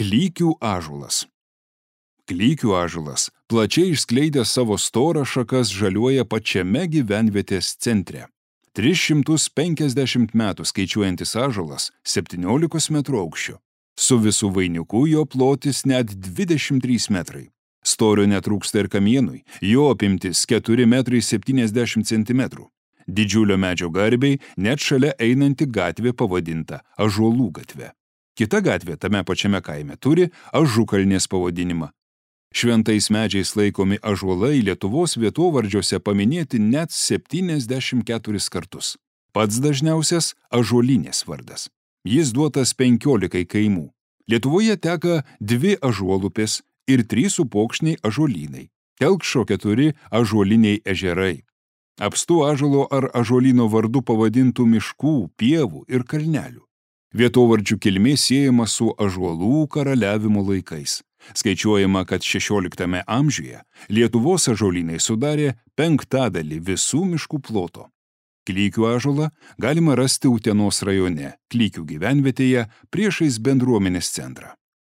Klykių ąžuolas. Klykių ąžuolas plačiai išskleidęs savo storą šakas žaliuoja pačiame gyvenvietės centre. 350 metų skaičiuojantis ąžuolas 17 metrų aukščio. Su visų vainiku jo plotis net 23 metrai. Storio netrūksta ir kamienui, jo apimtis 4 metrai 70 centimetrų. Didžiulio medžio garbiai net šalia einanti gatvė pavadinta Ąžuolų gatve. Kita gatvė tame pačiame kaime turi Ažukalnės pavadinimą. Šventais medžiais laikomi ąžuolai Lietuvos vietovardžiuose paminėti net 74 kartus. Pats dažniausias Ąžuolinės vardas. Jis duotas 15 kaimų. Lietuvoje teka 2 ąžuolupės ir 3 upokšniai ąžuolynai. Telkšo 4 ąžuoliniai ežerai. Apstu ąžuolo ar ąžuolyno vardu pavadintų miškų, pievų ir kalnelių. Vietovardžių kilmė siejama su ąžuolų karaliavimo laikais. Skaičiuojama, kad 16 amžiuje Lietuvos ąžuolynai sudarė 1/5 visų miškų ploto. Klykių ąžuolą galima rasti Utenos rajone, Klykių gyvenvietėje priešais bendruomenės centrą.